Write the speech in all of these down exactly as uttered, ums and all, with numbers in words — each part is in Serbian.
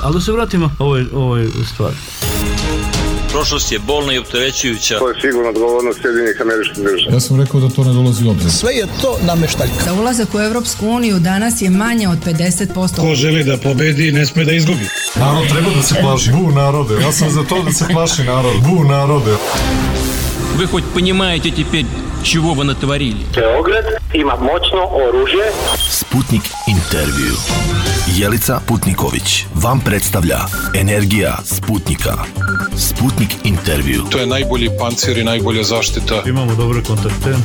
Ali da se vratimo ovoj, ovoj stvari. Prošlost je bolna i opterećujuća. To je sigurno odgovornost Sjedinjenih Američkih Država. Ja sam rekao da to ne dolazi u obzir. Sve je to nameštaljka. Za ulazak u Evropsku uniju danas je manje od pedeset posto. Ko želi da pobedi, ne sme da izgubi. Narod treba da se plaši. Bu narode. Ja sam za to da se plaši narod. Bu narode. Вы хоть понимаете теперь, чего вы натворили? Beograd ima moćno oružje. Sputnik intervju. Jelica Putniković vam predstavlja Energija Sputnika. Sputnik intervju. To je najbolji pancir i najbolja zaštita. Imamo dobre kontakte.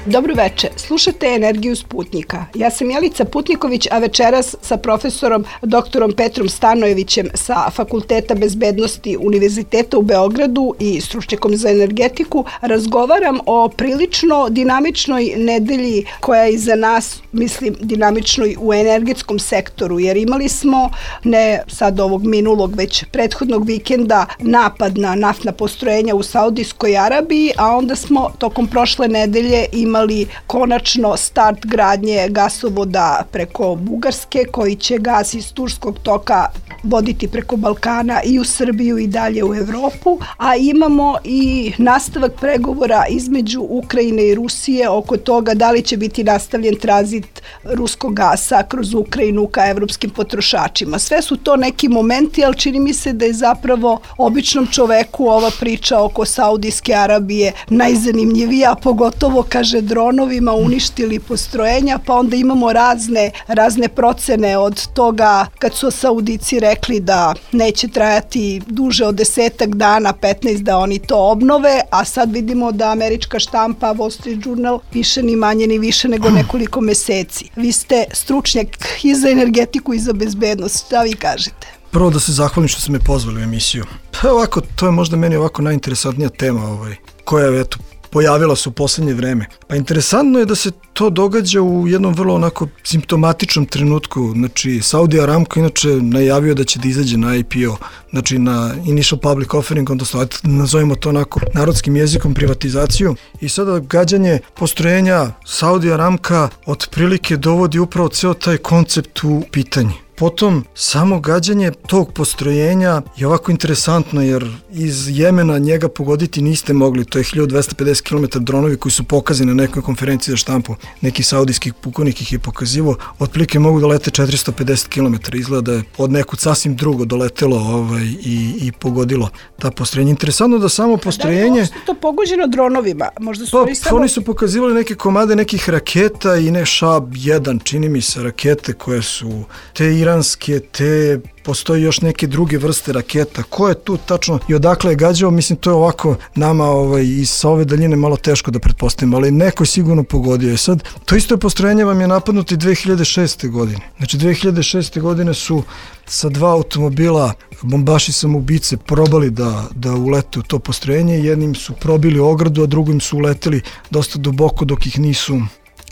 Dobro veče, slušate Energiju Sputnika. Ja sam Jelica Putniković, a večeras sa profesorom doktorom Petrom Stanojevićem sa Fakulteta bezbednosti Univerziteta u Beogradu i stručnjakom za energetiku razgovaram o prilično dinamičnoj nedelji koja je iza nas, mislim, dinamičnoj u energetskom sektoru, jer imali smo, ne sad ovog minulog, već prethodnog vikenda, napad na naftna postrojenja u Saudijskoj Arabiji, a onda smo tokom prošle nedelje imali imali konačno start gradnje gasovoda preko Bugarske, koji će gas iz Turskog toka voditi preko Balkana i u Srbiju i dalje u Evropu, a imamo i nastavak pregovora između Ukrajine i Rusije oko toga da li će biti nastavljen tranzit ruskog gasa kroz Ukrajinu ka evropskim potrošačima. Sve su to neki momenti, ali čini mi se da je zapravo običnom čoveku ova priča oko Saudijske Arabije najzanimljivija, pogotovo, kaže, dronovima uništili postrojenja, pa onda imamo razne, razne procene od toga kad su Saudici rekli da neće trajati duže od desetak dana, petnaest da oni to obnove, a sad vidimo da američka štampa Wall Street Journal piše ni manje ni više nego nekoliko meseci. Vi ste stručnjak i za energetiku i za bezbednost, šta vi kažete? Prvo da se zahvalim što ste me pozvali u emisiju. Pa ovako, to je možda meni ovako najinteresantnija tema ovaj, koja je, eto, pojavila se u poslednje vreme. Pa interesantno je da se to događa u jednom vrlo onako simptomatičnom trenutku. Znači, Saudi Aramco inače najavio da će da izađe na I P O, znači na Initial Public Offering, odnosno nazovimo to onako narodskim jezikom privatizaciju. I sada gađanje postrojenja Saudi Aramca otprilike dovodi upravo ceo taj koncept u pitanje. Potom, samo gađanje tog postrojenja je ovako interesantno, jer iz Jemena njega pogoditi niste mogli. To je hiljadu dvesta pedeset kilometara dronovi koji su pokazani na nekoj konferenciji za štampu. Neki saudijskih pukovnik ih je pokazivo. Otprilike mogu da lete četiristo pedeset kilometara. Izgleda da je od nekud sasvim drugo doletelo ovaj, i, i pogodilo ta postrojenja. Interesantno da samo postrojenje... Da je to pogođeno dronovima? Možda su pa, samo... Oni su pokazivali neke komade nekih raketa i ne Šab jedan, čini mi se, rakete koje su te iranske, te postoji još neke druge vrste raketa. Ko je tu tačno i odakle je gađao, mislim, to je ovako nama ovaj, i sa ove daljine malo teško da pretpostavimo, ali neko je sigurno pogodio. I sad, to isto postrojenje vam je napadnuto i dve hiljade šeste. godine. Znači, dve hiljade šeste. godine su sa dva automobila bombaši samoubice probali da, da ulete u to postrojenje. Jednim su probili ogradu, a drugim su uleteli dosta duboko dok ih nisu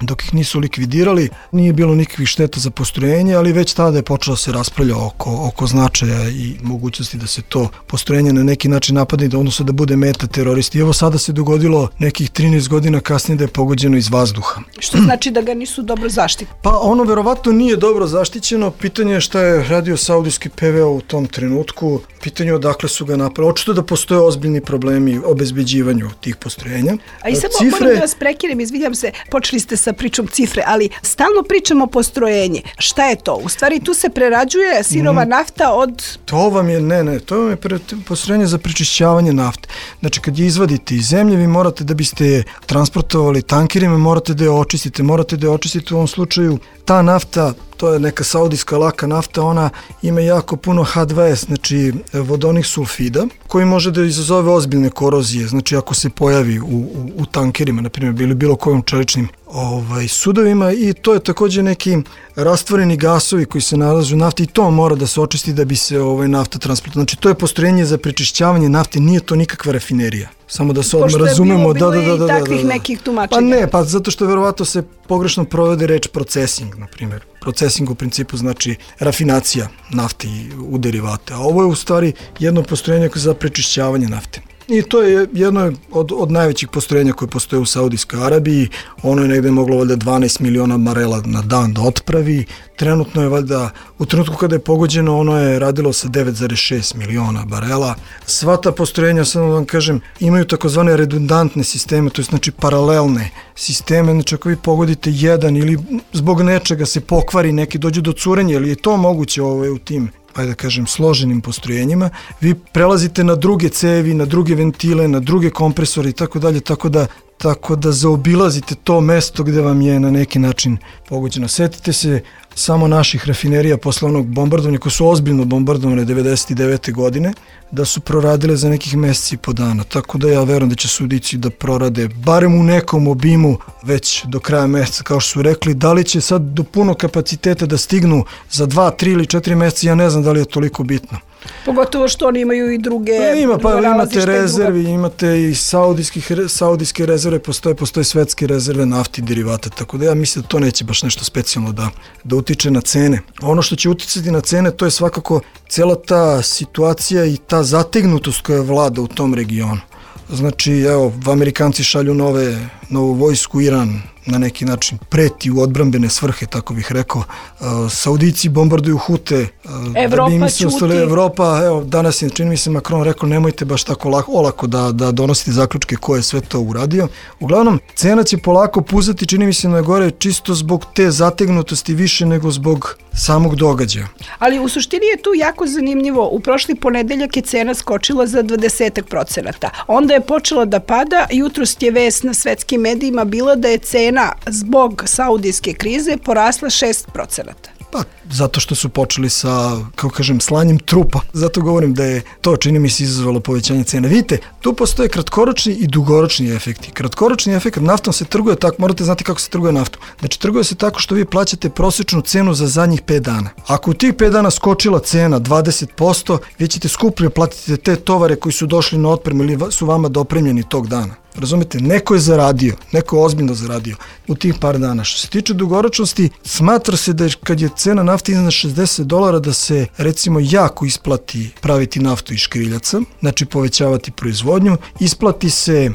dok ih nisu likvidirali. Nije bilo nikakvih šteta za postrojenje, ali već tada je počelo se raspravlja oko, oko značaja i mogućnosti da se to postrojenje na neki način napadne, da odnosno da bude meta teroristi. I evo sada se dogodilo nekih trinaest godina kasnije da je pogođeno iz vazduha. Što znači da ga nisu dobro zaštitili? Pa ono verovatno nije dobro zaštićeno. Pitanje je šta je radio saudijski P V O u tom trenutku. Pitanje je odakle su ga napravili. Očito da postoje ozbiljni problemi u obezbeđivanju tih postrojenja. A i samo Cifre... moram da vas prekinem, izvinjam se, počeli ste sa pričom cifre, ali stalno pričamo postrojenje. Šta je to? U stvari tu se prerađuje sirova mm. nafta od... To vam je, ne, ne, to vam je pre, postrojenje za prečišćavanje nafte. Znači kad je izvadite iz zemlje, vi morate da biste je transportovali tankerima, morate da je očistite, morate da je očistite u ovom slučaju. Ta nafta, to je neka saudijska laka nafta, ona ima jako puno H dva S, znači vodonih sulfida, koji može da izazove ozbiljne korozije, znači ako se pojavi u, u, u tankerima, na primjer, ili bilo kojim čeličnim ovaj, sudovima, i to je također neki rastvoreni gasovi koji se nalaze u nafti i to mora da se očisti da bi se ovaj, nafta transportovala. Znači to je postrojenje za prečišćavanje nafte, nije to nikakva rafinerija. Samo da se odmah razumemo. Pošto je bilo, bilo da, da, da, i takvih da, da, da. nekih tumačenja. Pa ne, pa zato što verovatno se pogrešno provede reč procesing, na primjer. Procesing u principu znači rafinacija nafte u derivate, a ovo je u stvari jedno postrojenje za prečišćavanje nafte. I to je jedno od, od najvećih postrojenja koje postoje u Saudijskoj Arabiji. Ono je negde moglo valjda dvanaest miliona barela na dan da otpravi. Trenutno je valjda, u trenutku kada je pogođeno, ono je radilo sa devet zarez šest miliona barela. Sva ta postrojenja, sad vam kažem, imaju takozvane redundantne sisteme, to je znači paralelne sisteme, znači ako vi pogodite jedan ili zbog nečega se pokvari neki, dođe do curenja, ili je to moguće ovaj, u tim, ajde da kažem, složenim postrojenjima, vi prelazite na druge cevi, na druge ventile, na druge kompresore i tako dalje, tako da tako da zaobilazite to mesto gde vam je na neki način pogođeno. Setite se samo naših rafinerija posle onog bombardovanja, koje su ozbiljno bombardovane devedeset devete godine, da su proradile za nekih meseci i po dana. Tako da ja verujem da će Saudici da prorade barem u nekom obimu već do kraja meseca, kao što su rekli. Da li će sad do puno kapaciteta da stignu za dva, tri ili četiri meseca, ja ne znam da li je toliko bitno. Pogotovo što oni imaju i druge... Pa ima, pa imate rezervi, imate i saudijskih, saudijske rezerve, postoje, postoje svetske rezerve nafti i derivata, tako da ja mislim da to neće baš nešto specijalno da, da utiče na cene. Ono što će uticati na cene, to je svakako cela ta situacija i ta zategnutost koja vlada u tom regionu. Znači, evo, Amerikanci šalju nove, novu vojsku, Iran na neki način preti u odbrambene svrhe, tako bih rekao. Uh, Saudici bombarduju Hute. Uh, Evropa da bi ćuti. Evropa, evo, danas je, čini mi se, Macron rekao, nemojte baš tako lako, olako da, da donosite zaključke ko je sve to uradio. Uglavnom, cena će polako puzati, čini mi se, na gore, čisto zbog te zategnutosti više nego zbog samog događaja. Ali u suštini je tu jako zanimljivo. U prošli ponedeljak je cena skočila za dvadeset procenata. Onda je počela da pada. Jutros je vest na svetskim medijima bila da je cena zbog saudijske krize porasla šest procenata. Pa, zato što su počeli sa, kao kažem, slanjem trupa. Zato govorim da je to, čini mi se, izazvalo povećanje cena. Vidite, tu postoje kratkoročni i dugoročni efekti. Kratkoročni efekt, naftom se trguje tako, morate znati kako se trguje naftom. Znači, trguje se tako što vi plaćate prosječnu cenu za zadnjih pet dana. Ako u tih pet dana skočila cena dvadeset posto, vi ćete skuplje platiti te tovare koji su došli na otpremu ili su vama dopremljeni tog dana. Razumete, neko je zaradio, neko je ozbiljno zaradio u tih par dana. Što se tiče dugoročnosti, smatra se da je, kad je cena nafte iznad šezdeset dolara, da se recimo jako isplati praviti naftu iz škriljaca, znači povećavati proizvodnju, isplati se e,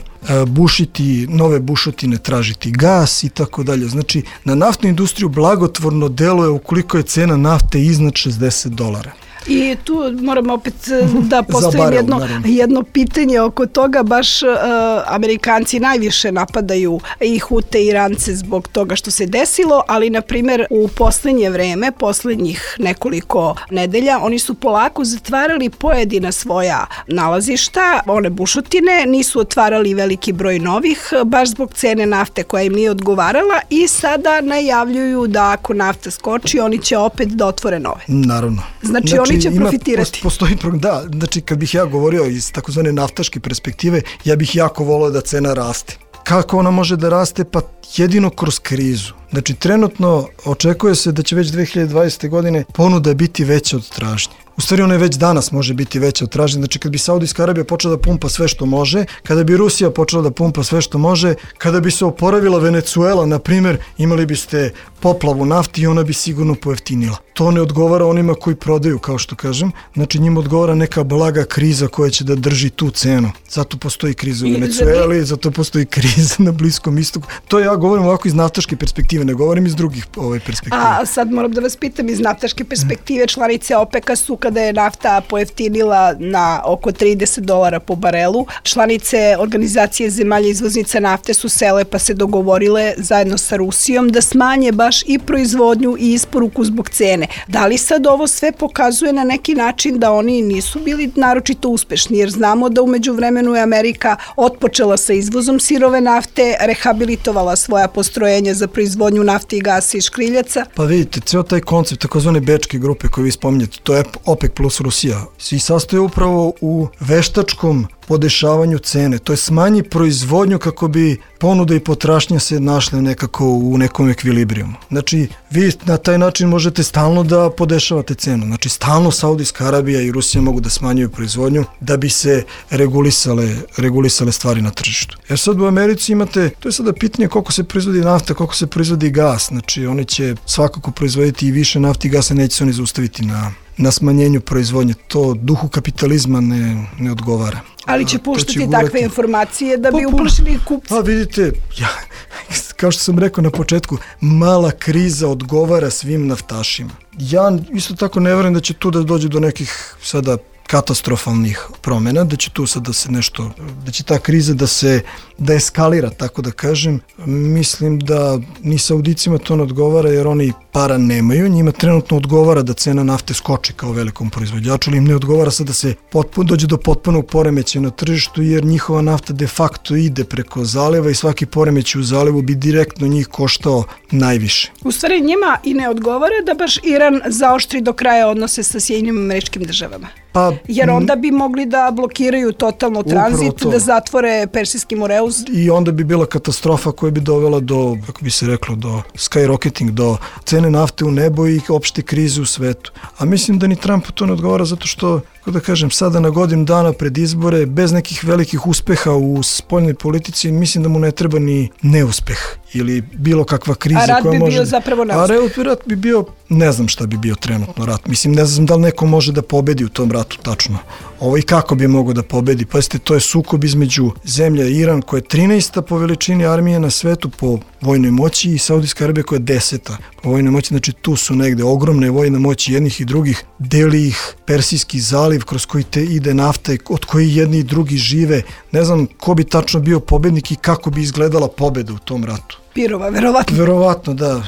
bušiti nove bušotine, tražiti gas i tako dalje. Znači, na naftnu industriju blagotvorno deluje ukoliko je cena nafte iznad šezdeset dolara. I tu moram opet da postavim barel, jedno, jedno pitanje oko toga. Baš uh, Amerikanci najviše napadaju i Hute i Irance zbog toga što se desilo, ali na primjer u poslednje vreme, poslednjih nekoliko nedelja, oni su polako zatvarali pojedina svoja nalazišta, one bušotine, nisu otvarali veliki broj novih, baš zbog cene nafte koja im nije odgovarala, i sada najavljuju da ako nafta skoči, oni će opet da otvore nove. Naravno. Znači, znači oni će ima, profitirati. Postoji, da, znači kad bih ja govorio iz takozvane naftaške perspektive, ja bih jako volio da cena raste. Kako ona može da raste? Pa jedino kroz krizu. Znači, trenutno očekuje se da će već dve hiljade dvadesete. godine ponuda biti veća od tražnje. U stvari, ona je već danas može biti veća od tražnje. Znači, kad bi Saudijska Arabija počela da pumpa sve što može, kada bi Rusija počela da pumpa sve što može, kada bi se oporavila Venecuela, na primjer, imali biste poplavu nafti i ona bi sigurno pojeftinila. To ne odgovara onima koji prodaju, kao što kažem. Znači, njima odgovara neka blaga kriza koja će da drži tu cenu. Zato postoji kriza u Venecueli, zato postoji kriza na Bliskom istoku. To ja govorim ovako iz naftaške perspektive, ne govorim iz drugih ove perspektive. A sad moram da vas pitam, iz naftaške perspektive, članice OPEC-a su, kada je nafta pojeftinila na oko trideset dolara po barelu, članice organizacije zemalja izvoznica nafte su sele pa se dogovorile zajedno sa Rusijom da smanje baš i proizvodnju i isporuku zbog cene. Da li sad ovo sve pokazuje na neki način da oni nisu bili naročito uspešni, jer znamo da umeđu vremenu je Amerika otpočela sa izvozom sirove nafte, rehabilitovala svoja postrojenja za proizvodnju nafte i gasa i škriljaca? Pa vidite, ceo taj koncept takozvane bečke grupe koju vi spominjete, to je OPEC plus Rusija, svi sastoje upravo u veštačkom podešavanju cene, to je smanji proizvodnju kako bi ponuda i potražnja se našle nekako u nekom ekvilibrijumu. Znači, vi na taj način možete stalno da podešavate cenu. Znači, stalno Saudijska Arabija i Rusija mogu da smanjuju proizvodnju da bi se regulisale, regulisale stvari na tržištu. Jer sad u Americi imate, to je sada pitanje koliko se proizvodi nafta, koliko se proizvodi gas. Znači, oni će svakako proizvoditi i više nafti i gasa, neće se oni zaustaviti na na smanjenju proizvodnje. To duhu kapitalizma ne, ne odgovara. Ali će A, to puštati će takve gurati. informacije da bi Pa, pa, uplašili kupce. A vidite, ja, kao što sam rekao na početku, mala kriza odgovara svim naftašima. Ja isto tako ne verujem da će tu da dođe do nekih sada katastrofalnih promjena, da će tu sad da se nešto, da će ta kriza da se da eskalira, tako da kažem. Mislim da ni Saudicima to ne odgovara jer oni para nemaju, njima trenutno odgovara da cena nafte skoči kao velikom proizvođaču, ali im ne odgovara sad da se potpuno dođe do potpunog poremećaja na tržištu jer njihova nafta de facto ide preko zaliva i svaki poremećaj u zalivu bi direktno njih koštao najviše. U stvari njima i ne odgovara da baš Iran zaoštri do kraja odnose sa Sjedinjenim Američkim Državama. Pa, jer onda bi mogli da blokiraju totalno tranzit, da zatvore Persijski moreuz. I onda bi bila katastrofa koja bi dovela do, kako bi se reklo, do skyrocketing, do cene nafte u nebo i opšte krize u svetu. A mislim da ni Trumpu to ne odgovara zato što, kako da kažem, sada na godinu dana pred izbore, bez nekih velikih uspeha u spoljnoj politici, mislim da mu ne treba ni neuspeh ili bilo kakva kriza. A rat koja bi može... bio zapravo neuspeh. A rat bi bio, ne znam šta bi bio trenutno rat. Mislim, ne znam da li neko može da pobedi u tom ratu tačno. Ovo i kako bi mogao da pobedi. Pazite, to je sukob između zemlja Iran koja je trinaesta po veličini armije na svetu po vojnoj moći i Saudijska Arabija koja je deseta po vojnoj moći. Znači tu su negde ogromne vojne moći jednih i drugih. Deli ih Persijski zaliv kroz koji te ide nafta od koji jedni i drugi žive. Ne znam ko bi tačno bio pobednik i kako bi izgledala pobeda u tom ratu. Pirova, verovatno. Verovatno, da.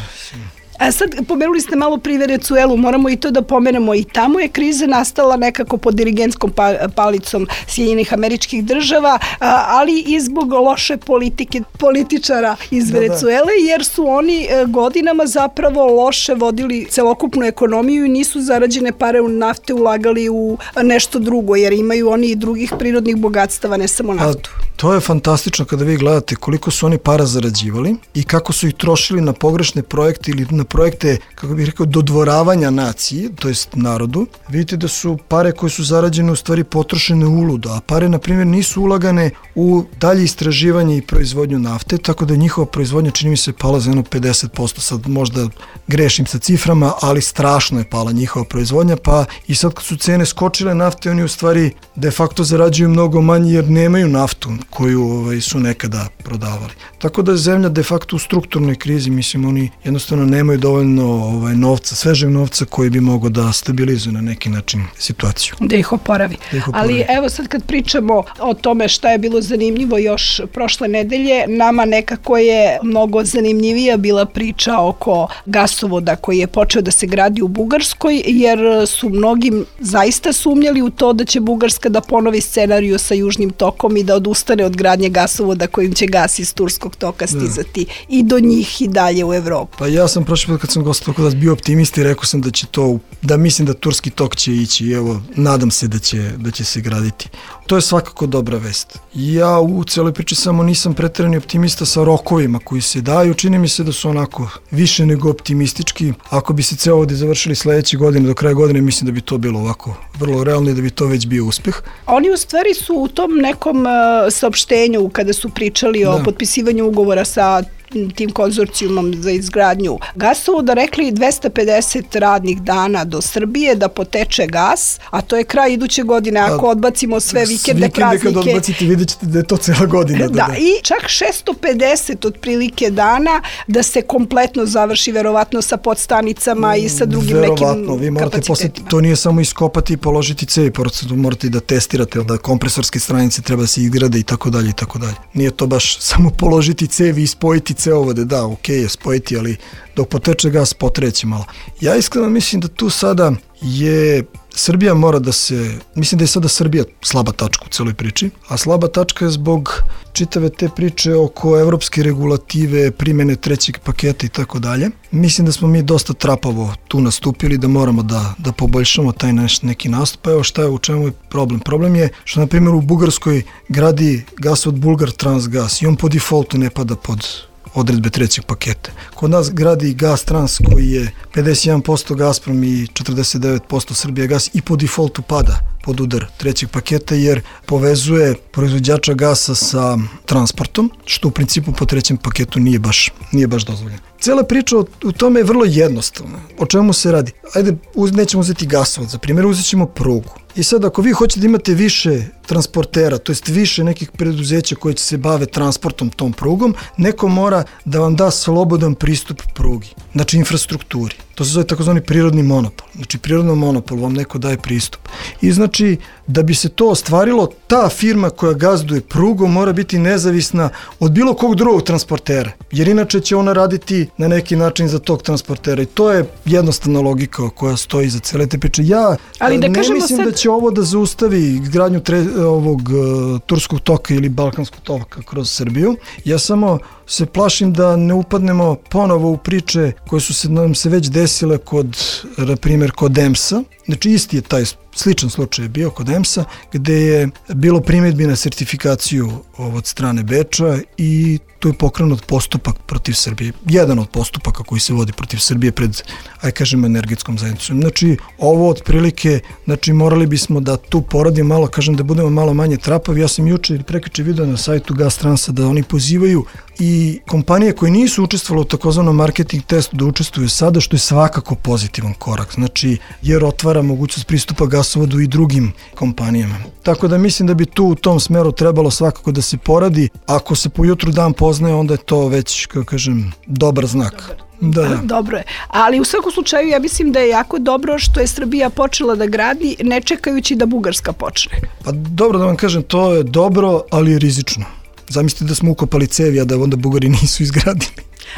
A sad, pomenuli ste malo pri Venecuelu, moramo i to da pomenemo. I tamo je kriza nastala nekako pod dirigentskom palicom Sjedinjenih Američkih Država, ali i zbog loše politike političara iz da, Venecuele, jer su oni godinama zapravo loše vodili celokupnu ekonomiju i nisu zarađene pare u nafte ulagali u nešto drugo, jer imaju oni i drugih prirodnih bogatstava, ne samo naftu. A, to je fantastično kada vi gledate koliko su oni para zarađivali i kako su ih trošili na pogrešne projekte ili na projekte, kako bih rekao, dodvoravanja naciji, to jest narodu. Vidite da su pare koje su zarađene u stvari potrošene uludo, a pare, na primjer, nisu ulagane u dalje istraživanje i proizvodnju nafte, tako da je njihova proizvodnja, čini mi se, pala za jedno pedeset posto, sad možda grešim sa ciframa, ali strašno je pala njihova proizvodnja, pa i sad kad su cene skočile nafte, oni u stvari de facto zarađuju mnogo manje jer nemaju naftu koju ovaj, su nekada prodavali. Tako da je zemlja de facto u strukturnoj krizi, mislim, oni jednostavno nemaju dovoljno ovaj, novca, svežeg novca koji bi mogao da stabilizuje na neki način situaciju. Da ih oporavi. Da ih oporavi. Ali evo sad kad pričamo o tome šta je bilo zanimljivo još prošle nedelje, nama nekako je mnogo zanimljivija bila priča oko gasovoda koji je počeo da se gradi u Bugarskoj, jer su mnogim zaista sumnjali u to da će Bugarska da ponovi scenariju sa Južnim tokom i da odustane od gradnje gasovoda kojim će gas iz Turskog toka stizati da. I do njih i dalje u Evropu. Pa ja sam prošli put kad sam gostao kod vas bio optimista i rekao sam da će to, da mislim da Turski tok će ići i evo, nadam se da će, da će se graditi. To je svakako dobra vest. Ja u celoj priči samo nisam preterani optimista sa rokovima koji se daju, čini mi se da su onako više nego optimistički. Ako bi se cevovodi završili sledeće godine, do kraja godine, mislim da bi to bilo ovako vrlo realno i da bi to već bio uspeh. Oni u stvari su u tom nekom uh, saopštenju kada su pričali da. O potpisivanju ugovora sa tim konzorcijumom za izgradnju gasovoda rekli dvesta pedeset radnih dana do Srbije da poteče gas, a to je kraj iduće godine ako a, odbacimo sve vikende, praznike. Vikende kad odbacite vidjet ćete da je to cela godina. Da, da, da. I čak šesto pedeset otprilike dana da se kompletno završi verovatno sa podstanicama i sa drugim verovatno, nekim vi morate posle, to nije samo iskopati i položiti cevi, morate da testirate, da kompresorske stranice treba se izgrade i tako dalje i tako dalje. Nije to baš samo položiti cevi i spojiti cevovode, da, okej okay je spojiti, ali dok poteče gas potreće malo. Ja iskreno mislim da tu sada je Srbija mora da se, mislim da je sada Srbija slaba tačka u celoj priči, a slaba tačka je zbog čitave te priče oko evropske regulative, primene trećeg paketa i tako dalje. Mislim da smo mi dosta trapavo tu nastupili, da moramo da, da poboljšamo taj naš neki nastup. Evo šta je, u čemu je problem? Problem je što, na primjer, u Bugarskoj gradi gasovod Bulgar Transgas i on po defaultu ne pada pod odredbe trećeg paketa. Kod nas gradi Gas Trans koji je pedeset jedan posto Gazprom i četrdeset devet posto Srbija gas i po defaultu pada pod udar trećeg paketa jer povezuje proizvođača gasa sa transportom, što u principu po trećem paketu nije baš, nije baš dozvoljeno. Cela priča o, u tome je vrlo jednostavna. O čemu se radi? Ajde, uz, nećemo uzeti gasovod, za primjer uzet ćemo prugu. I sad ako vi hoćete da imate više transportera, to jest više nekih preduzeća koje će se bave transportom tom prugom, neko mora da vam da slobodan pristup prugi, znači infrastrukturi. To se zove takozvani prirodni monopol. Znači prirodno monopol vam neko daje pristup. I znači da bi se to ostvarilo, ta firma koja gazduje prugom mora biti nezavisna od bilo kog drugog transportera, jer inače će ona raditi na neki način za tog transportera i to je jednostavna logika koja stoji za cele te priče. Ja Ali da ne mislim sad... da će ovo da zaustavi izgradnju tre, ovog uh, turskog toka ili balkanskog toka kroz Srbiju. Ja samo se plašim da ne upadnemo ponovo u priče koje su se nam se već desile kod, na primjer, kod E M S-a. Znači isti je taj sličan slučaj bio kod E M S-a, gde je bilo primjedbi na sertifikaciju od strane Beča i tu je pokrenut postupak protiv Srbije. Jedan od postupaka koji se vodi protiv Srbije pred, aj kažemo, energetskom zajednicom. Znači, ovo otprilike, znači morali bismo da tu poradimo malo, kažem da budemo malo manje trapavi. Ja sam juče ili prekjuče video na sajtu Gastransa da oni pozivaju i kompanije koje nisu učestvovale u takozvanom marketing testu da učestvuju sada, što je svakako pozitivan korak. Znači, jer otvara mogućnost pristupa gasovodu i drugim kompanijama. Tako da mislim da bi tu u tom smeru trebalo svakako da se poradi. Ako se po jutru dan poznaje, onda je to već, kako kažem, dobar znak. Da, da. Dobro je. Ali u svakom slučaju ja mislim da je jako dobro što je Srbija počela da gradi ne čekajući da Bugarska počne. Pa dobro da vam kažem, to je dobro, ali je rizično. Zamislite da smo ukopali cevi, a da onda Bugari nisu izgradili.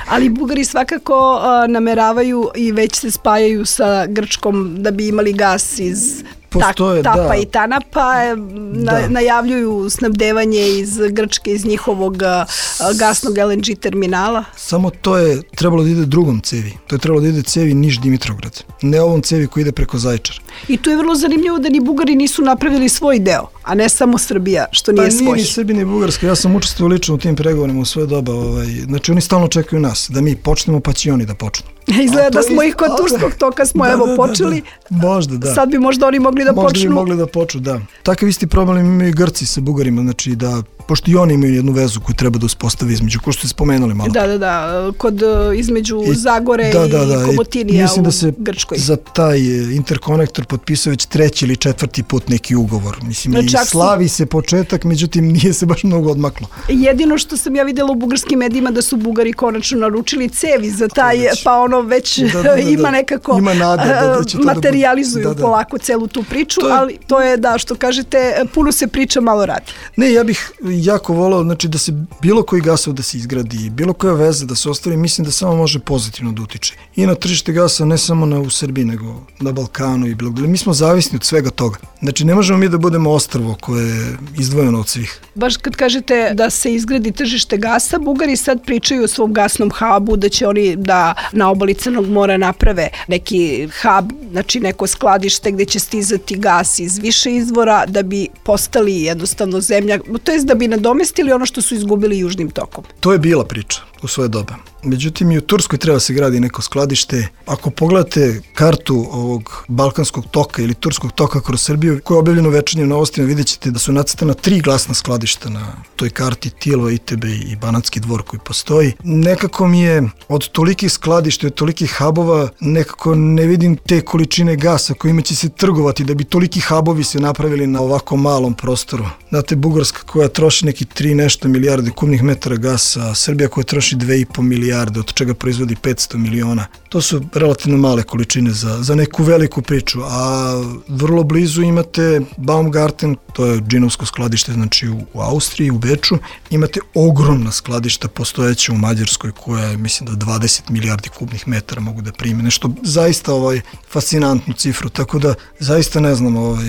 Ali Bugari svakako uh, nameravaju i već se spajaju sa Grčkom da bi imali gas iz Postoje, Tapa da. i Tanapa, na, da. najavljuju snabdevanje iz Grčke, iz njihovog uh, gasnog L N G terminala. Samo to je trebalo da ide drugom cevi. To je trebalo da ide cevi Niš-Dimitrovgrad. Ne ovom cevi koji ide preko Zaječara. I tu je vrlo zanimljivo da ni Bugari nisu napravili svoj deo, a ne samo Srbija, što nije svoj. Pa nije ni Srbija ni Bugarska. Ja sam učestvovao lično u tim pregovorima u svoje doba. Ovaj. Znači oni stalno čekaju nas, da mi počnemo pa će oni da počnu. Izgleda da smo ih kod turskog toka smo da, evo da, počeli. Da, da. Možda, da. Sad bi možda oni mogli da možda počnu. Možda bi mogli da počnu, da. Takav isti problem imaju i Grci sa Bugarima, znači da, pošto i oni imaju jednu vezu koju treba da uspostavi između, ko što ste spomenuli malo. Da, da, da, kod između I, Zagore da, da, da, i Komotinija mislim u da se Grčkoj. Za taj interkonektor potpisao već treći ili četvrti put neki ugovor. Mislim, i slavi se početak, međutim nije se baš mnogo odmaklo. Jedino što sam ja videla u bugarskim medijima da su Bugari konačno naručili cevi za taj, već, pa ono već da, da, da, ima nekako ima nada, da, da će to materializuju da, da. polako celu tu priču, to je, ali to je da, što kažete, puno se priča, malo radi. Ne, ja bih jako volao, znači da se bilo koji gasov da se izgradi, bilo koja veza da se ostvari, mislim da samo može pozitivno da utiče. I na tržište gasa, ne samo na, u Srbiji, nego na Balkanu i bilo gde. Mi smo zavisni od svega toga. Znači ne možemo mi da budemo ostrvo koje je izdvojeno od svih. Baš kad kažete da se izgradi tržište gasa, Bugari sad pričaju o svom gasnom hubu, da će oni da na obali Crnog mora naprave neki hub, znači neko skladište gde će stizati gas iz više izvora da bi postali jednostavno zemlja, to jest da bi nadomestili ono što su izgubili južnim tokom. To je bila priča u svoje doba. Međutim, i u Turskoj treba se gradi neko skladište. Ako pogledate kartu ovog balkanskog toka ili turskog toka kroz Srbiju, koja je objavljena u Večernjim novostima, vidjet ćete da su nacrtana tri glasna skladišta na toj karti, Tilova, I T B i Banatski dvor koji postoji. Nekako mi je od tolikih skladišta, od tolikih hubova, nekako ne vidim te količine gasa kojima će se trgovati da bi toliki hubovi se napravili na ovako malom prostoru. Znate, Bugarska koja troši neki tri nešto milijarde kubnih metara gasa, Srbija koja troši dve i po milijarde, od čega proizvodi petsto miliona. To su relativno male količine za, za neku veliku priču, a vrlo blizu imate Baumgarten, to je džinovsko skladište, znači u, u Austriji, u Beču, imate ogromna skladišta postojeća u Mađarskoj koja je, mislim da dvadeset milijardi kubnih metara mogu da prime, nešto zaista ovaj, fascinantnu cifru, tako da zaista ne znam ovaj,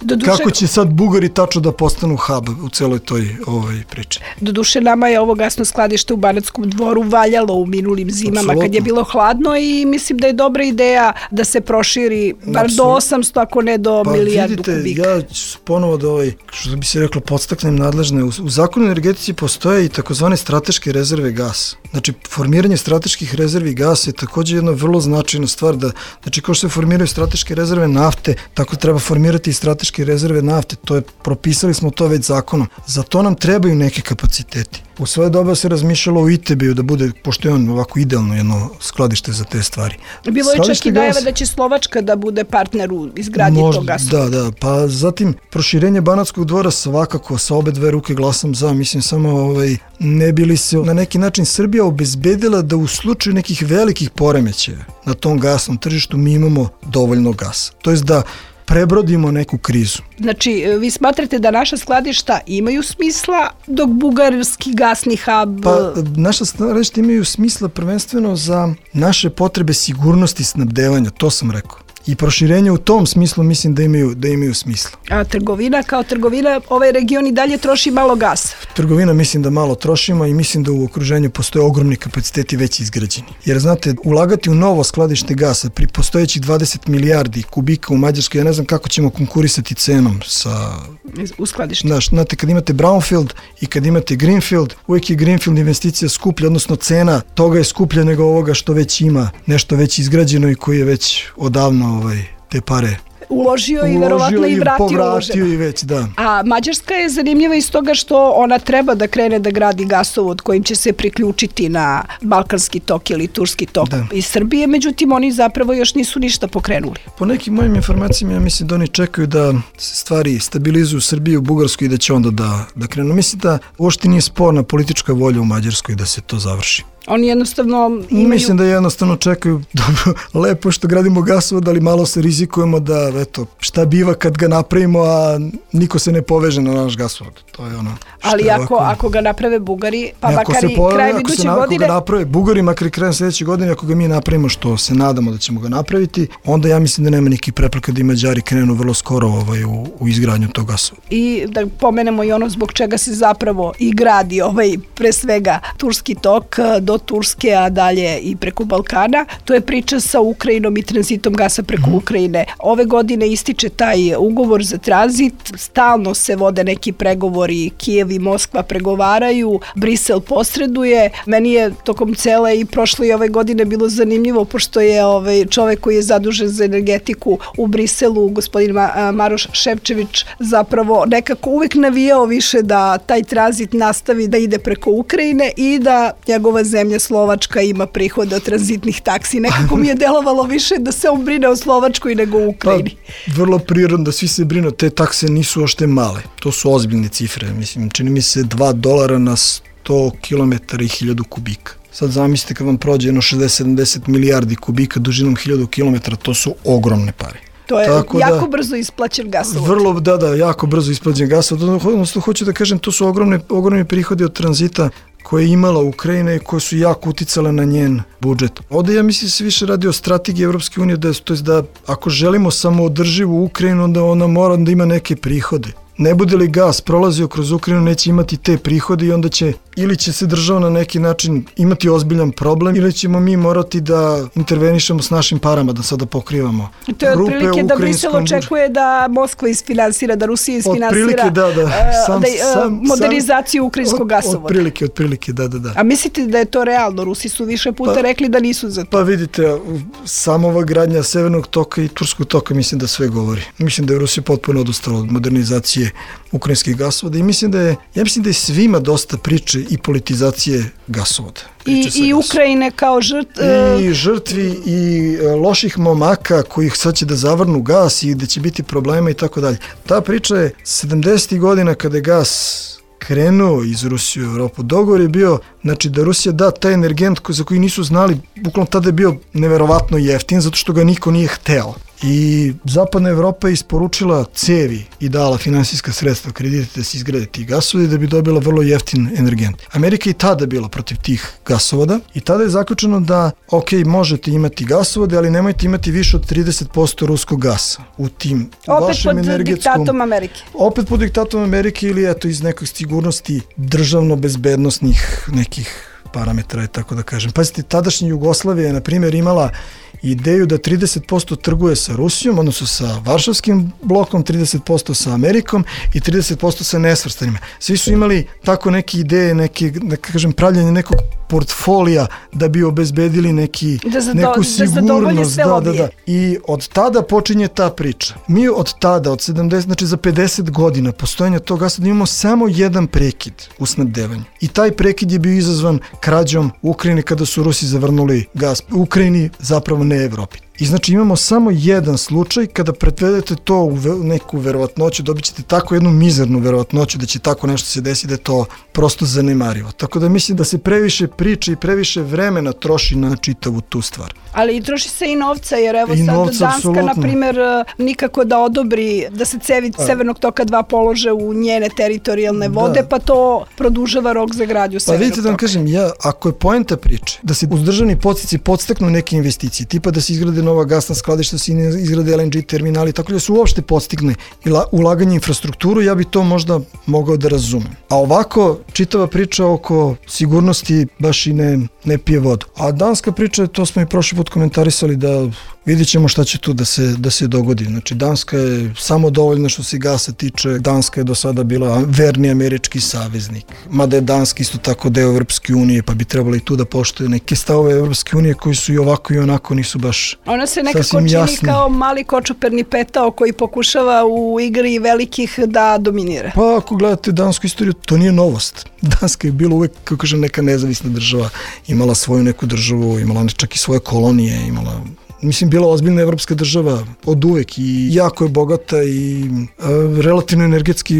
Doduše, kako će sad Bugari tačno da postanu hub u celoj toj ovaj, priči. Doduše nama je ovo gasno skladište u Banatskom dvoru valjalo u minulim zimama. Absolutno. Kad je bilo hladno i mislim da je dobra ideja da se proširi bar do osamsto, ako ne do pa milijardu vidite, kubika. Ja ću ponovo da ovaj, što bi se reklo, podstaknem nadležne. U, u zakonu energetici postoje i takozvane strateške rezerve gasa. Znači, formiranje strateških rezervi gasa je također jedna vrlo značajna stvar. Da, znači, kao što se formiraju strateške rezerve nafte, tako treba formirati i strateške rezerve nafte. To je, propisali smo to već zakonom. Za to nam trebaju neke kapaciteti. U svoje doba se razmišljalo o I T B-u da bude, pošto pošto je on ovako idealno jedno skladište za te stvari. Bilo je čak i najava da će Slovačka da bude partner u izgradnji tog gasovoda. Da, da, pa zatim proširenje Banatskog dvora svakako sa obe dve ruke glasam za, mislim samo ovaj, ne bi li se na neki način Srbija obezbedila da u slučaju nekih velikih poremećaja na tom gasnom tržištu mi imamo dovoljno gasa. To jest da prebrodimo neku krizu. Znači, vi smatrate da naša skladišta imaju smisla, dok bugarski gasni hub... Pa, naša skladišta imaju smisla prvenstveno za naše potrebe sigurnosti snabdevanja, to sam rekao. I proširenje u tom smislu mislim da imaju, da imaju smisla. A trgovina, kao trgovina, ovaj region i dalje troši malo gasa? Trgovina mislim da malo trošimo i mislim da u okruženju postoje ogromni kapaciteti već izgrađeni. Jer znate, ulagati u novo skladište gasa pri postojećih dvadeset milijardi kubika u Mađarskoj, ja ne znam kako ćemo konkurisati cenom sa... u skladištu. Znaš, znate, kad imate brownfield i kad imate greenfield, uvijek je greenfield investicija skuplja, odnosno cena toga je skuplja nego ovoga što već ima, nešto već izgrađeno i koji je već odavno ovaj, te pare uložio i verovatno i vratio, povratio i već, da. A Mađarska je zanimljiva iz toga što ona treba da krene da gradi gasovod kojim će se priključiti na Balkanski tok ili Turski tok da. Iz Srbije, međutim oni zapravo još nisu ništa pokrenuli. Po nekim mojim informacijama ja mislim da oni čekaju da se stvari stabilizuju u Srbiji, u Bugarskoj i da će onda da, da krenu. Mislim da uopšte nije sporna politička volja u Mađarskoj da se to završi. Oni jednostavno imaju... Mislim da jednostavno čekaju, dobro, lepo što gradimo gasovod, ali malo se rizikujemo da, eto, šta biva kad ga napravimo, a niko se ne poveže na naš gasovod. To je ono... Ali ako, ovako... ako ga naprave Bugari, pa makar i krajem iduće godine... Ako ga naprave Bugari, makar i krajem sljedeće godine, ako ga mi napravimo, što se nadamo da ćemo ga napraviti, onda ja mislim da nema neki prepreka da i Mađari krenu vrlo skoro ovaj, u, u izgradnju tog gasovoda. I da pomenemo i ono zbog čega se zapravo i gradi ovaj, pre svega, Turski tok do Turske, a dalje i preko Balkana. To je priča sa Ukrajinom i tranzitom gasa preko mm. Ukrajine. Ove godine ističe taj ugovor za tranzit, stalno se vode neki pregovori, Kijev i Moskva pregovaraju, Brisel posreduje. Meni je tokom cele i prošle i ove godine bilo zanimljivo, pošto je ovaj čovek koji je zadužen za energetiku u Briselu, gospodin Ma- Maroš Šepčević, zapravo nekako uvek navijao više da taj tranzit nastavi da ide preko Ukrajine i da njegova zemlja Slovačka ima prihode od tranzitnih taksi. Nekako mi je delovalo više da se on brine o Slovačkoj nego u Ukrajini. Pa, vrlo prirodno da svi se brinu, te takse nisu ošte male. To su ozbiljne cifre. Mislim, čini mi se dva dolara na sto kilometara i hiljadu kubika. Sad zamislite kad vam prođe jedno šezdeset sedamdeset milijardi kubika dužinom hiljadu kilometara, to su ogromne pare. To je tako jako da, brzo isplaćen gasovod. Vrlo, da, da, jako brzo isplaćen gasovod. Odnosno, hoću da kažem, to su ogromne, ogromne prihodi od tranzita koje je imala Ukrajina i koje su jako uticale na njen budžet. Ovdje ja mislim da se više radi o strategiji Evropske unije, da, to je da ako želimo samoodrživu Ukrajinu, onda ona mora da ima neke prihode. Ne bude li gas prolazio kroz Ukrajinu, neće imati te prihode i onda će, ili će se država na neki način imati ozbiljan problem, ili ćemo mi morati da intervenišemo s našim parama, da sada pokrivamo rupe u ukrajinskom budžetu. To je otprilike da Brisel očekuje da Moskva isfinansira, da Rusija isfinansira da, da. Sam, da, sam, modernizaciju ukrajinskog gasovoda. Otprilike, otprilike, da, da, da. A mislite da je to realno? Rusi su više puta pa, rekli da nisu za to. Pa vidite, samo ova gradnja Severnog toka i Turskog toka mislim da sve govori. Mislim da je Rusija potpuno odustala od modernizacije ukrajinskih gasovoda i mislim da je, ja mislim da je svima dosta priče i politizacije gasovoda. I, i Ukrajine kao žrt... I žrtvi i loših momaka koji sad će da zavrnu gas i da će biti problema i tako dalje. Ta priča je sedamdesetih godina kada je gas krenuo iz Rusije u Evropu. Dogovor je bio, znači da Rusija da taj energent za koji nisu znali, bukvalno tada je bio neverovatno jeftin zato što ga niko nije hteo. I zapadna Evropa je isporučila cevi i dala finansijska sredstva, kredite da se izgrade ti gasovodi da bi dobila vrlo jeftin energent. Amerika i tada bila protiv tih gasovoda i tada je zaključeno da ok, možete imati gasovode, ali nemojte imati više od trideset posto ruskog gasa u tim opet vašem energetskom... Opet pod diktatom Amerike. Opet pod diktatom Amerike ili eto iz nekog sigurnosti državno-bezbednostnih nekih parametra, tako da kažem. Pazite, tadašnja Jugoslavija je, na primjer, imala ideju da trideset posto trguje sa Rusijom, odnosno sa Varšavskim blokom, trideset posto sa Amerikom i trideset posto sa nesvrstanima. Svi su imali tako neke ideje, neke, da kažem, pravljanje nekog portfolija da bi obezbedili neki, da zato, neku sigurnost. Da, da, da, da. I od tada počinje ta priča. Mi od tada, od sedamdeset, znači za pedeset godina postojanja tog gasa, da imamo samo jedan prekid u snabdevanju. I taj prekid je bio izazvan krađom u Ukrajini kada su Rusi zavrnuli gas u Ukrajini, zapravo ne Evropi. I znači imamo samo jedan slučaj kada pretvedete to u neku verovatnoću, dobit ćete tako jednu mizernu verovatnoću da će tako nešto se desiti, da je to prosto zanemarivo. Tako da mislim da se previše priče i previše vremena troši na čitavu tu stvar. Ali i troši se i novca, jer evo I sad novca, Danska, apsolutno. na primjer, nikako da odobri da se cevi A. Severnog toka dva polože u njene teritorijalne vode, Da. pa to produžava rok za gradnju Pa Severnog vidite da vam toka. kažem, ja, ako je poenta priče da se uz državni podsticaji podstaknu neke investicije, tipa da se izgrade nova gasna skladišta, da se izgrade L N G terminali, tako da se uopšte podstigne ulaganje infrastrukturu, ja bi to možda mogao da razumem. A ovako, čitava priča oko sigurnosti baš i ne, ne pije vodu. A danska priča, to smo i prošli put komentarisali, da vidjet ćemo šta će tu da se, da se dogodi. Znači, Danska je samo dovoljna što se gasa tiče. Danska je do sada bila verni američki saveznik. Mada je Danska isto tako deo Evropske unije, pa bi trebalo i tu da poštuje neke stavove Evropske unije koji su i ovako i onako nisu baš Ona se nekako sasvim čini jasni. kao mali kočuperni petao koji pokušava u igri velikih da dominira. Pa ako gledate dansku istoriju, to nije novost. Danska je bila uvek, kako kažem, neka nezavisna država, imala svoju neku državu, imala čak i svoje kolonije, imala... Mislim, bila ozbiljna evropska država od uvek i jako je bogata i e, relativno energetski,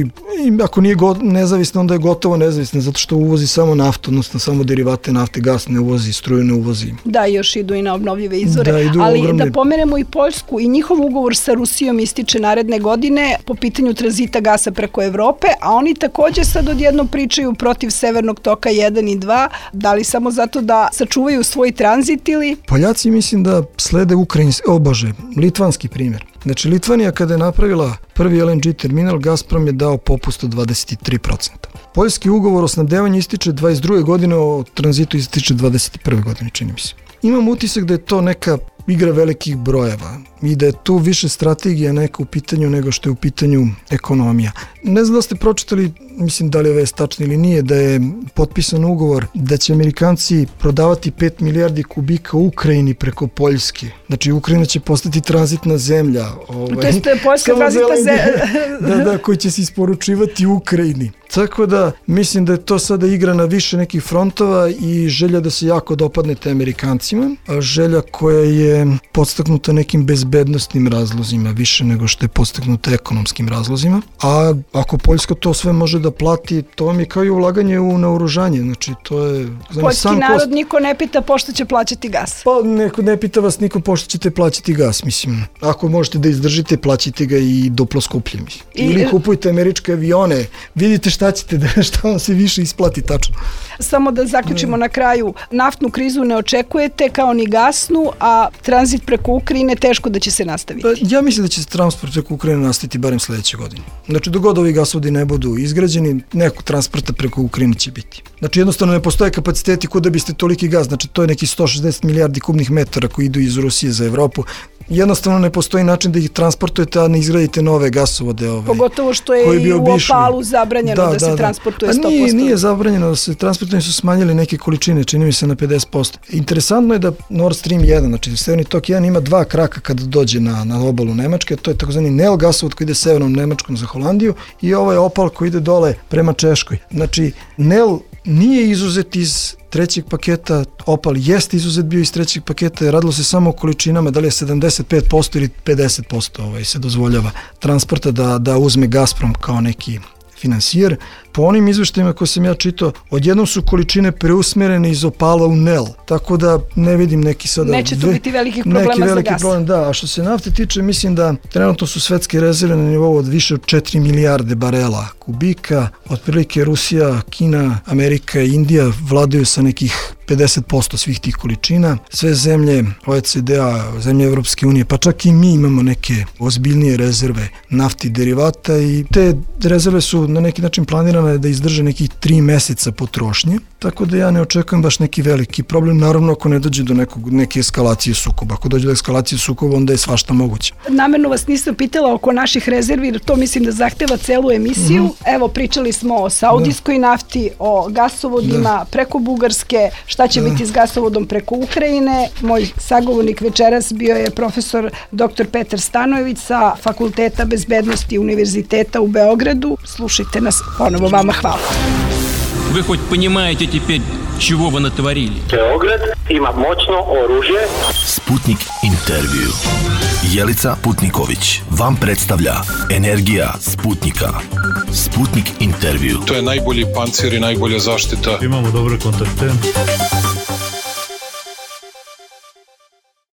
i ako nije go, nezavisna, onda je gotovo nezavisna, zato što uvozi samo naftu, odnosno samo derivate nafte, gas ne uvozi, struju ne uvozi. Da, još idu i na obnovljive izvore, Da, idu ali ogromne... da pomenemo i Poljsku, i njihov ugovor sa Rusijom ističe naredne godine po pitanju tranzita gasa preko Evrope, a oni takođe sad odjednom pričaju protiv Severnog toka jedan i dva, da li samo zato da sačuvaju svoj tranzit ili... Poljaci mislim da slede ukrajinski, o bože, litvanski primjer. Znači, Litvanija kada je napravila prvi L N G terminal, Gazprom je dao popust od dvadeset tri procenta. Poljski ugovor o snabdevanju ističe dvadeset druge godine, o tranzitu ističe dvadeset prve godine, čini mi se. Imam utisak da je to neka igra velikih brojeva i da je tu više strategija neka u pitanju nego što je u pitanju ekonomija. Ne znam da ste pročitali, mislim da li je vest tačno ili nije, da je potpisan ugovor da će Amerikanci prodavati pet milijardi kubika u Ukrajini preko Poljske. Znači, Ukrajina će postati tranzitna zemlja. Ovaj, to je Poljska tranzitna zemlja. da, da, koji će se isporučivati u Ukrajini. Tako da, mislim da je to sada igra na više nekih frontova i želja da se jako dopadne te Amerikancima, a želja koja je podstaknuta nekim bezbednostnim razlozima, više nego što je podstaknuta ekonomskim razlozima. A ako Poljska to sve može da plati, to vam je kao i ulaganje u naoružanje. Znači, to je... Poljski narod kost... niko ne pita pošto će plaćati gas. Pa neko ne pita vas niko pošto ćete plaćati gas, mislim. Ako možete da izdržite, plaćite ga i duplo skuplje, mislim. I... Ili kupujte američke avione, vidite šta ćete da, šta vam se više isplati tačno. Samo da zaključimo na kraju, naftnu krizu ne očekujete kao ni gasnu, a tranzit preko Ukrajine teško da će se nastaviti. Pa, ja mislim da će se transport preko Ukrajine nastaviti barem sledeće godine. Znači, dok god ovi gasovodi ne budu izgrađeni, nekog transporta preko Ukrajine će biti. Znači, jednostavno ne postoje kapaciteti kuda biste toliki gas, znači to je neki sto šezdeset milijardi kubnih metara koji idu iz Rusije za Evropu. Jednostavno ne postoji način da ih transportujete, a ne izgradite nove gasovode. Ove, Pogotovo što je i u Opalu zabranjeno da, da, da se da, transportuje sto posto. A nije, nije zabranjeno da se transportuje, su smanjili neke količine, čini mi se na pedeset posto. Interesantno je da Nord Stream jedan, znači Severni tok jedan ima dva kraka kada dođe na, na obalu Nemačke, to je takozvani Nel gasovod koji ide severnom Nemačkom za Holandiju i ovaj Opal koji ide dole prema Češkoj. Znači, Nel nije izuzet iz trećeg paketa, Opal jeste izuzet bio iz trećeg paketa, radilo se samo o količinama, da li je sedamdeset pet posto ili pedeset posto ovaj, se dozvoljava transporta da, da uzme Gazprom kao neki finansijer. Po onim izveštajima koje sam ja čitao, odjednom su količine preusmerene iz Opala u Nel, tako da ne vidim neki sada... Neće tu biti velikih problema neki veliki za gas. Problem, da, a što se nafte tiče, mislim da trenutno su svetske rezerve na nivou od više od četiri milijarde barela kubika, otprilike Rusija, Kina, Amerika i Indija vladaju sa nekih pedeset posto svih tih količina. Sve zemlje O E C D-a, zemlje Evropske unije, pa čak i mi imamo neke ozbiljnije rezerve nafti i derivata i te rezerve su na neki način planirane da izdrže nekih tri meseca potrošnje, tako da ja ne očekujem baš neki veliki problem, naravno ako ne dođe do nekog, neke eskalacije sukoba. Ako dođe do eskalacije sukoba, onda je svašta moguće. Namerno vas nisam pitala oko naših rezervi, jer to mislim da zahteva celu emisiju. Mm-hmm. Evo, pričali smo o saudijskoj da. nafti, o gasovodima da. preko Bugarske, šta će da. biti s gasovodom preko Ukrajine. Moj sagovornik večeras bio je profesor doktor Petar Stanojević sa Fakulteta bezbednosti Univerziteta u Beogradu. Slušajte nas ponovo, vama hvala. Вы хоть понимаете теперь, чего вы натворили. Beograd ima moćno oružje. Sputnik intervju. Jelica Putniković vam predstavlja Energija Sputnika. Sputnik intervju. To je najbolji pancir i najbolja zaštita. Imamo dobre kontakte.